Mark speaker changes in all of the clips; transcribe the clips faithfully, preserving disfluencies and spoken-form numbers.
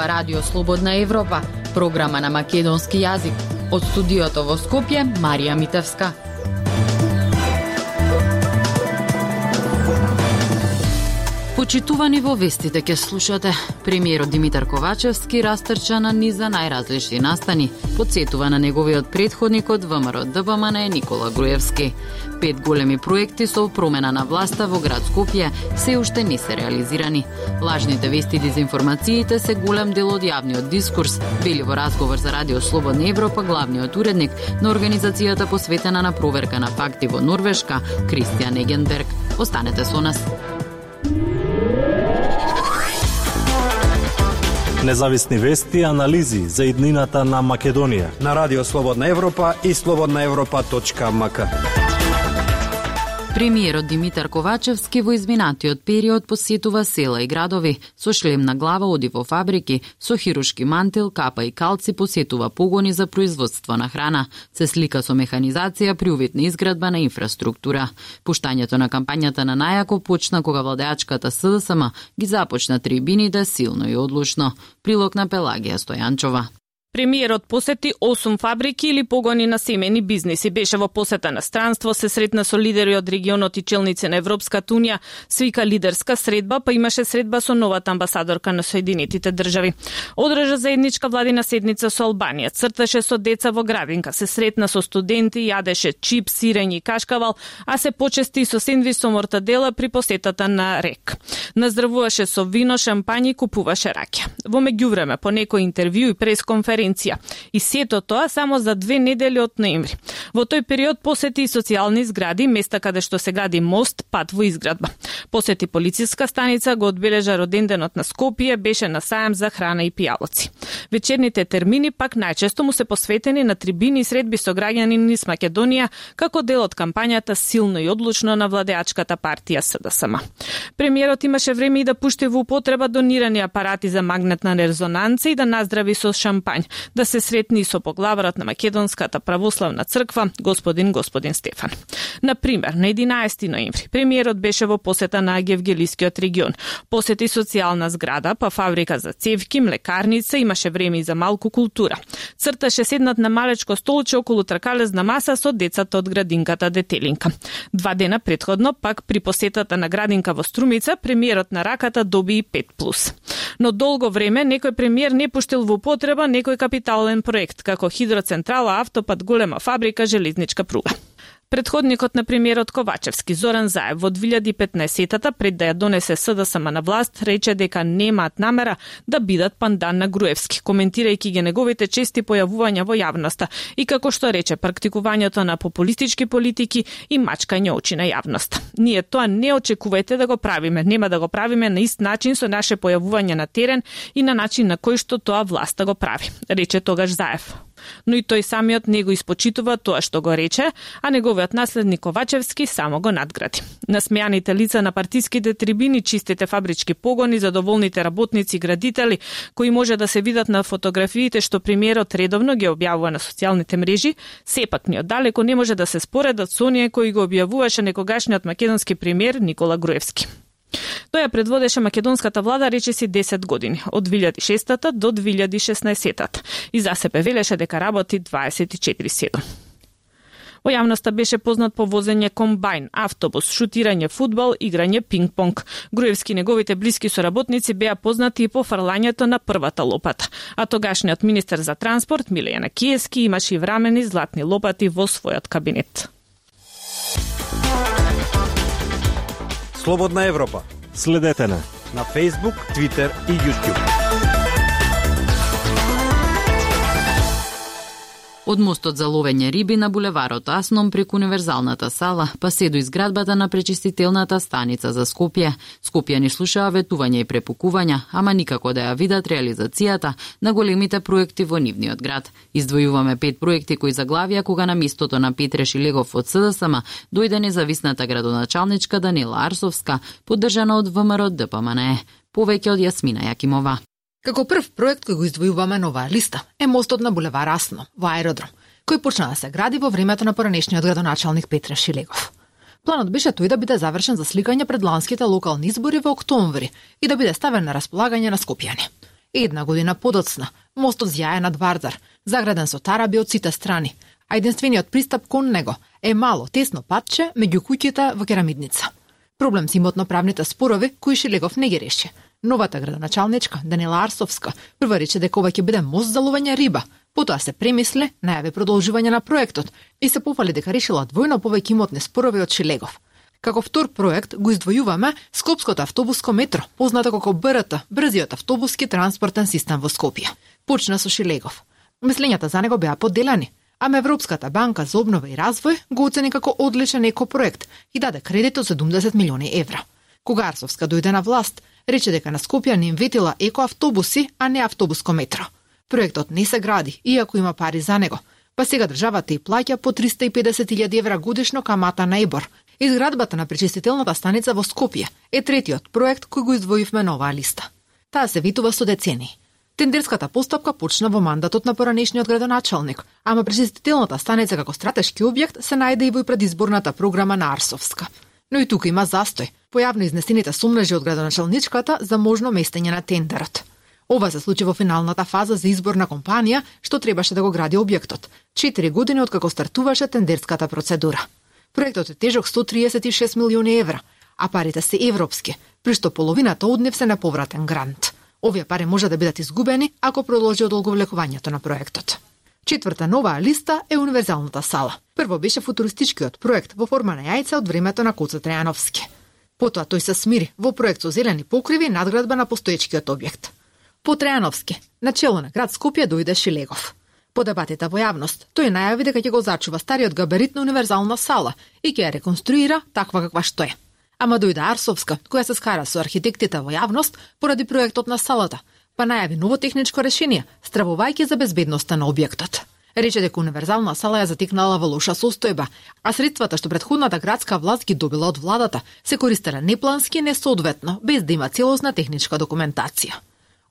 Speaker 1: Ова радио Слободна Европа, програма на македонски јазик. Од студиото во Скопје, Марија Митевска. Почитувани во вестите ке слушате. Премиерот Димитар Ковачевски растрча на низа најразлични настани, подсетува на неговиот претходник од ВМРО Д Б М Н Никола Груевски. Пет големи проекти со промена на власта во град Скопје се уште не се реализирани. Лажните вести и дезинформациите се голем дел од јавниот дискурс, вели во разговор за Радио Слободна Европа главниот уредник на организацијата посветена на проверка на факти во Норвешка, Кристијан Егенберг. Останете со нас.
Speaker 2: Независни вести и анализи за иднината на Македонија
Speaker 3: на Радио Слободна Европа и слободна европа точка м к.
Speaker 1: Премиерот Димитар Ковачевски во изминатиот период посетува села и градови. Со шлем на глава оди во фабрики, со хирушки мантил, капа и калци посетува погони за производство на храна. Се слика со механизација при увид на изградба на инфраструктура. Пуштањето на кампањата на најако почна кога владеачката С Д С М ги започна трибините силно и одлучно. Прилог на Пелагија Стојанчова.
Speaker 4: Премиерот посети осум фабрики или погони на семени бизниси. Беше во посета на странство, се сретна со лидери од регионот и челници на Европската унија, свика лидерска средба, па имаше средба со новата амбасадорка на Соединетите држави. Одржа заедничка владина седница со Албанија, црташе со деца во градинка, се сретна со студенти, јадеше чип, сирење и кашкавал, а се почести со сендвич со мортадела при посетата на РЕК. Наздравуваше со вино, шампањи и купуваше раќа. Во меѓувреме, по некој интервју и пресконференција, и сето тоа само за две недели од ноември. Во тој период посети и социјални згради, места каде што се гради мост, пат во изградба. Посети полициска станица, го одбележа роденденот на Скопје, беше на сајам за храна и пијалоци. Вечерните термини пак најчесто му се посветени на трибини и средби со граѓани низ Македонија, како дел од кампањата силно и одлучно на владеачката партија С Д С М. Премиерот имаше време и да пушти во употреба донирани апарати за магнетна резонанца и да наздрави со шампањ, да се сретни со поглаварот на Македонската православна црква, господин господин Стефан. На пример, на единаесети ноември, премиерот беше во посета на Гевгелискиот регион. Посети социјална зграда, па фабрика за цевки, млекарница, имаше време и за малку култура. Црташе седнат на малечко столче околу тркалезна маса со децата од градинката Детелинка. Два дена претходно, пак при посетата на градинка во Струмица, премиерот на раката доби и пет плюс. Но долго време некој премиер не пуштил во употреба некој капитален проект, како хидроцентрала, автопат, голема фабрика, железничка пруга. Предходникот на премиерот Ковачевски, Зоран Заев, во две илјади и петнаесетата, пред да ја донесе С Д С М на власт, рече дека немаат намера да бидат пандан на Груевски, коментирајќи ги неговите чести појавувања во јавноста и, како што рече, практикувањето на популистички политики и мачкање очи на јавноста. Ние тоа не очекувајте да го правиме, нема да го правиме на ист начин со наше појавување на терен и на начин на кој што тоа власта го прави, рече тогаш Заев. Но и тој самиот не го испочитува тоа што го рече, а неговиот наследник Ковачевски само го надгради. Насмеаните лица на партиските трибини, чистите фабрички погони, задоволните работници и градители, кои може да се видат на фотографиите што премиерот редовно ги објавува на социјалните мрежи, сепак ни оддалеку не може да се споредат со оние кои го објавуваше некогашниот македонски премиер Никола Груевски. Тој ја предводеше македонската влада речиси десет години, од две илјади и шестата до две илјади и шеснаесетата, и за себе велеше дека работи дваесет и четири седум. Во јавноста беше познат по возење комбајн, автобус, шутирање фудбал, играње пинг-понг. Груевски и неговите блиски соработници беа познати и по фрлањето на првата лопата, а тогашниот министер за транспорт Милејана Киевски имаше и врамени златни лопати во својот кабинет.
Speaker 3: Слободна Европа.
Speaker 2: Следете на
Speaker 3: на Facebook, Twitter и YouTube.
Speaker 1: Од мостот за ловење риби на булеварот Асном преку универзалната сала, па се до изградбата на пречистителната станица за Скопје. Скопјани слушаа ветувања и препукувања, ама никако да ја видат реализацијата на големите проекти во нивниот град. Издвојуваме пет проекти кои заглавија кога на местото на Петре Шилегов од С Д С М дојде независната градоначалничка Данила Арсовска, поддржана од В М Р Д П М Н Е. Повеќе од Јасмина Јакимова.
Speaker 5: Како прв проект кој го издвојуваме на оваа листа е мостот на булевар Асно во аеродром, кој почна да се гради во времето на поранешниот градоначалник Петре Шилегов. Планот беше тој да биде завршен за сликање пред ланските локални избори во октомври и да биде ставен на располагање на скопјани. Една година подоцна, мостот зјае над Вардар, заграден со тараби од сите страни, а единствениот пристап кон него е мало, тесно патче меѓу куќите во Керамидница. Проблем с имотно-правните спорови кои Шилегов не ги реши. Новата градоначалничка, Данила Арсовска, прва рече дека ова ќе биде мост за ловење риба, потоа се премисли, најави продолжување на проектот и се пофали дека решила двојно повеќе имотни спорови од Шилегов. Како втор проект го издвојуваме Скопското автобуско метро, познато како Б Р Т, брзиот автобуски транспортен систем во Скопје. Почна со Шилегов. Мислењата за него беа поделени, ама Европската банка за обнова и развој го оцени како одличен екопроект и даде кредит од седумдесет милиони евра. Кога Арсовска дојде на власт, рече дека на Скопје не им ветила екоавтобуси, а не автобуско метро. Проектот не се гради, иако има пари за него, па сега државата и плаќа по триста и педесет илјади евра годишно камата на ЕБОР. Изградбата на пречистителната станица во Скопје е третиот проект кој го издвоивме на оваа листа. Таа се витува со децении. Тендерската постапка почна во мандатот на поранешниот градоначалник, ама пречистителната станица како стратешки објект се најде и во предизборната програма на Арсовска. Но и тука има застој, појавно изнесените сомнежи од градоначалничката за можно местење на тендерот. Ова се случи во финалната фаза за избор на компанија што требаше да го гради објектот, четири години откако стартуваше тендерската процедура. Проектот е тежок сто триесет и шест милиони евра, а парите се европски, при што половината од нив се неповратен грант. Овие пари може да бидат изгубени ако продолжи одолговлекувањето на проектот. Четврта нова листа е универзалната сала. Прво беше футуристичкиот проект во форма на јајце од времето на Коца Трајановски. Потоа тој се смири во проект со зелени покриви и надградба на постоечкиот објект. По Трајановски, начело на град Скопје дојде Шилегов. По дебатите во јавност, тој најави дека ќе го зачува стариот габарит на универзална сала и ќе ја реконструира таква каква што е. Ама дојде Арсовска, која се скара со архитектите во јавност поради проектот на салата, па најави ново техничко решение, стравувајќи за безбедноста на објектот. Рече дека универзална сала ја затекнала во лоша состојба, а средствата што претходната градска власт ги добила од владата се користеле неплански и несоодветно, без да има целосна техничка документација.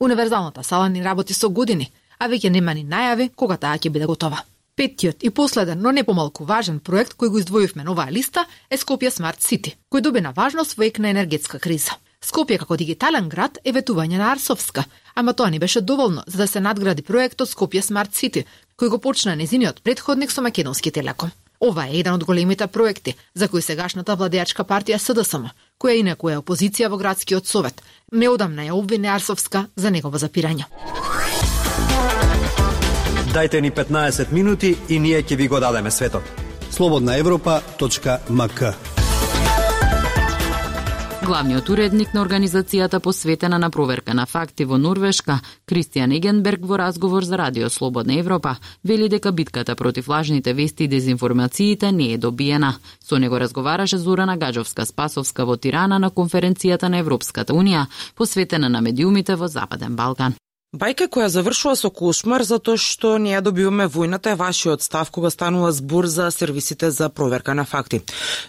Speaker 5: Универзалната сала ни работи со години, а веќе нема ни најави кога таа ќе биде готова. Петтиот и последен, но не помалку важен проект кој го издвоивме на оваа листа е Скопје Смарт Сити, кој доби на важност во ек на енергетска криза. Скопје како дигитален град е ветување на Арсовска, ама тоа не беше доволно за да се надгради проектот Скопје Смарт Сити, кој го почна незиниот претходник со Македонски телеком. Ова е еден од големите проекти за кои сегашната владеачка партија С Д С М, која инаку е опозиција во градскиот совет, неодамна ја обвини Арсовска за негово запирање.
Speaker 3: Дайте ни петнаесет минути и ние ќе ви го дадеме светот.
Speaker 6: слободна европа точка м к.
Speaker 1: Главниот уредник на организацијата посветена на проверка на факти во Норвешка, Кристијан Егенберг, во разговор за Радио Слободна Европа, вели дека битката против лажните вести и дезинформациите не е добиена. Со него разговараше Зорана Гаджовска-Спасовска во Тирана на конференцијата на Европската Унија, посветена на медиумите во Западен Балкан.
Speaker 7: Бајка која завршува со кошмар затоа што не ја добиваме војната е вашиот став кога станува збор за сервисите за проверка на факти.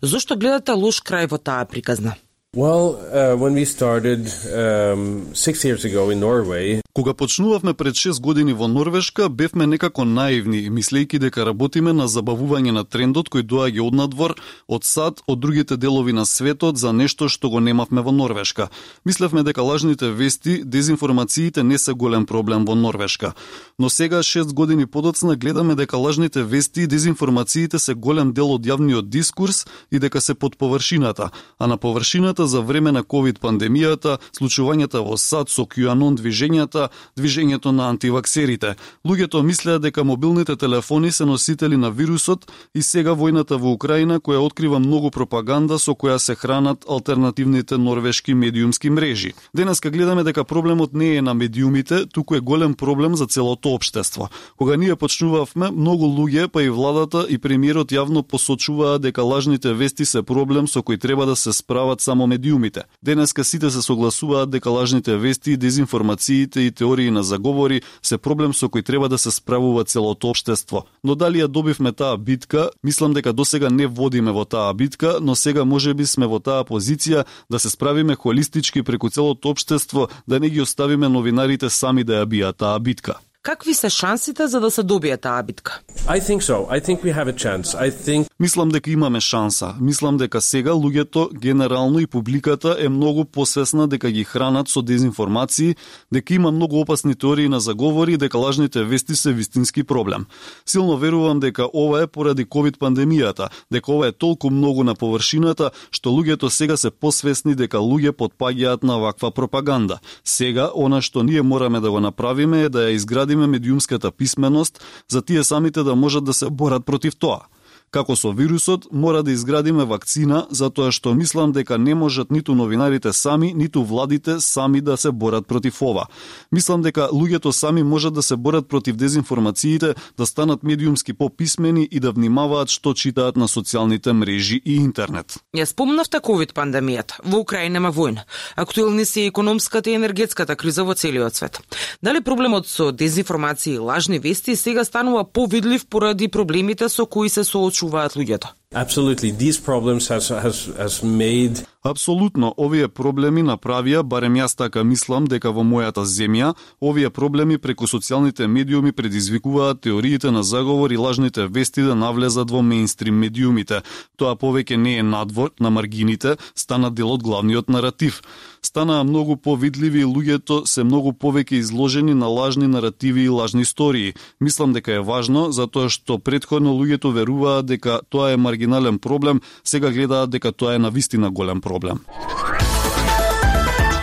Speaker 7: Зошто гледате лош крај во таа приказна?
Speaker 8: Well, uh, when we started um, six years ago in Norway,
Speaker 9: кога почнувавме пред шест години во Норвешка, бевме некако наивни, мислејќи дека работиме на забавување на трендот кој доаѓа од надвор, од САД, од другите делови на светот за нешто што го немавме во Норвешка. Мислевме дека лажните вести, дезинформациите не се голем проблем во Норвешка. Но сега, шест години подоцна, гледаме дека лажните вести и дезинформациите се голем дел од јавниот дискурс и дека се под површината, а на површината за време на ковид пандемијата, случувањата во САД со QAnon движењата, движењето на антиваксерите. Луѓето мислеа дека мобилните телефони се носители на вирусот и сега војната во Украина која открива многу пропаганда со која се хранат алтернативните норвешки медиумски мрежи. Денеска гледаме дека проблемот не е на медиумите, туку е голем проблем за целото општество. Кога ние почнувавме, многу луѓе, па и владата и премиерот јавно посочуваа дека лажните вести се проблем со кој треба да се справат само медиумите. Денеска сите се согласуваат дека лажните вести, дезинформациите и теории на заговори се проблем со кој треба да се справува целото општество. Но дали ја добивме таа битка? Мислам дека досега не водиме во таа битка, но сега можеби сме во таа позиција да се справиме холистички преку целото општество, да не ги оставиме новинарите сами да ја бијат таа битка.
Speaker 7: Какви се шансите за да се добие таа битка?
Speaker 8: I think so. I think we have a chance. I think...
Speaker 9: Мислам дека имаме шанса. Мислам дека сега луѓето генерално и публиката е многу посвесна дека ги хранат со дезинформации, дека има многу опасни теории на заговори и дека лажните вести се вистински проблем. Силно верувам дека ова е поради ковид пандемијата, дека ова е толку многу на површината што луѓето сега се посвесни дека луѓе потпаѓаат на ваква пропаганда. Сега она што ние мораме да го направиме е да ја изградиме медиумската писменост за тие самите да можат да се борат против тоа. Како со вирусот, мора да изградиме вакцина, затоа што мислам дека не можат ниту новинарите сами, ниту владите сами да се борат против ова. Мислам дека луѓето сами можат да се борат против дезинформациите, да станат медиумски пописмени и да внимаваат што читаат на социјалните мрежи и интернет.
Speaker 7: Ја спомнавте ковид пандемијата. Во Украина има војна. Актуелни се економската и енергетската криза во целиот свет. Дали проблемот со дезинформации и лажни вести сега станува повидлив поради проблемите со кои се соочуваат луѓето?
Speaker 8: Absolutely. These problems has, has, has made...
Speaker 9: Апсолутно, овие проблеми направија, барем јас така мислам, дека во мојата земја, овие проблеми преку социјалните медиуми предизвикуваат теориите на заговор и лажните вести да навлезат во мејнстрим медиумите. Тоа повеќе не е надвор, на маргините, стана дел од главниот наратив. Станаа многу повидливи и луѓето се многу повеќе изложени на лажни наративи и лажни истории. Мислам дека е важно, затоа што претходно луѓето веруваат дека тоа е маргинален проблем, сега гледаат дека тоа е навистина голем проблем. Проблем.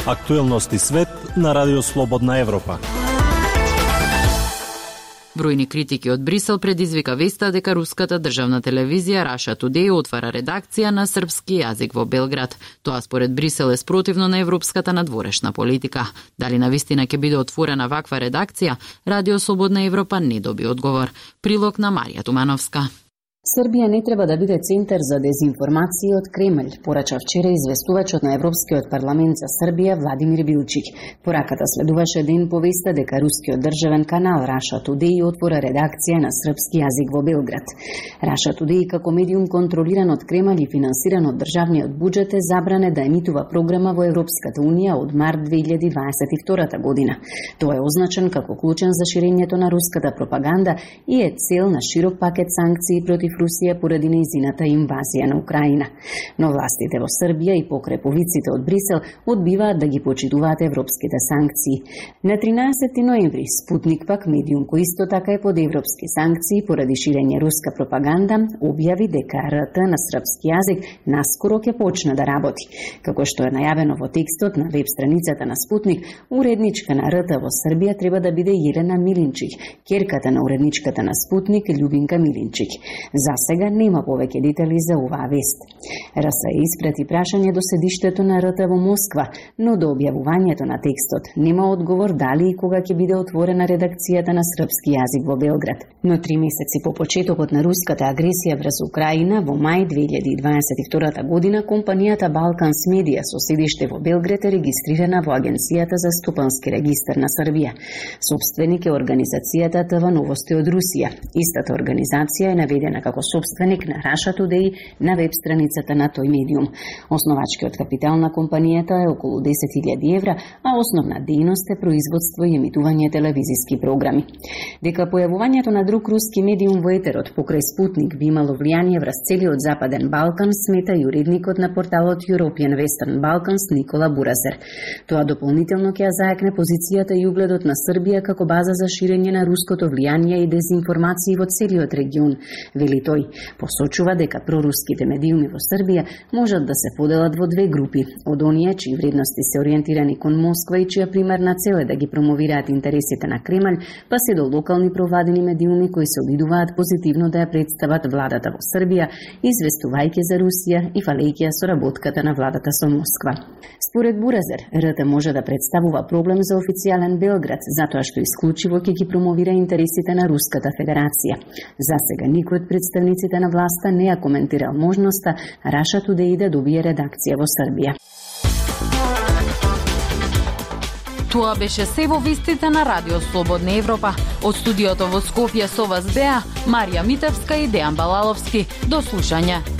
Speaker 2: Актуелности свет на Радио Слободна Европа.
Speaker 1: Бројни критики од Брисел предизвика веста дека руската државна телевизија Russia Today отвара редакција на српски јазик во Белград. Тоа според Брисел е спротивно на европската надворешна политика. Дали навистина ќе биде отворена ваква редакција? Радио Слободна Европа не доби одговор. Прилог на Марија Тумановска.
Speaker 10: Србија не треба да биде центар за дезинформација од Кремљ, порача вчера известувачот на Европскиот парламент за Србија Владимир Билчик. Пораката следуваше ден по веста дека рускиот државен канал Russia Today отвора редакција на српски јазик во Белград. Russia Today како медиум контролиран од Кремљ и финансиран од државниот буџет е забране да емитува програма во Европската унија од март две илјади дваесет и втора година. Тоа е означен како клучен за ширењето на руската пропаганда и е цел на широк пакет санкции против Русија поради нејзината инвазија на Украина. Но властите во Србија и покреповиците од Брисел одбиваат да ги почитуваат европските санкции. На тринаесети ноември Спутник, пак медиум кој исто така е под европски санкции поради ширење руска пропаганда, објави дека Р Т на српски јазик наскоро ќе почне да работи. Како што е најавено во текстот на веб страницата на Спутник, уредничка на Р Т во Србија треба да биде Елена Милинчик, ќерката на уредничката на Спутник Љубинка Милинчик. За сега нема повеќе детали за оваа вест. РС испрати прашање до седиштето на Р Т во Москва, но до објавувањето на текстот нема одговор дали и кога ќе биде отворена редакцијата на српски јазик во Белград. Но три месеци по почетокот на руската агресија врз Украина во мај две илјади дваесет и втора година компанијата Balkans Media со седиште во Белград е регистрирана во Агенцијата за стопански регистар на Србија. Собственик е организацијата ТВ Новости од Русија. Истата организација е наведена како собственик на Russia Today на веб страницата на тој медиум. Основачкиот капитал на компанијата е околу десет илјади евра, а основна дејност е производство и емитување телевизиски програми. Дека појавувањето на друг руски медиум во етерот покрај Спутник би имало влијание врз целиот Западен Балкан, смета и уредникот на порталот European Western Balkans Никола Буразер. Тоа дополнително ќе ја заекне позицијата и угледот на Србија како база за ширење на руското влијание и дезинформации во целиот регион, вели тој. Посочува дека проруските медиуми во Србија можат да се поделат во две групи, од оние чии вредности се ориентирани кон Москва и чија примерна цел е да ги промовираат интересите на Кремљ, па се до локални провладени медиуми кои се обидуваат позитивно да ја представат владата во Србија, известувајќи за Русија и фалејќи ја соработката на владата со Москва. Според Буразер, Р Т може да представува проблем за официјален Белград, затоа што исклучиво ќе ги промовира интересите на Руската Федерација. За сега никој од представниците на власта не ја коментирал можноста Russia Today да добие редакција во Србија.
Speaker 1: Тоа беше се во вестите на Радио Слободна Европа. Од студиото во Скопје со вас беа Марија Митевска и Дејан Балаловски. До слушање.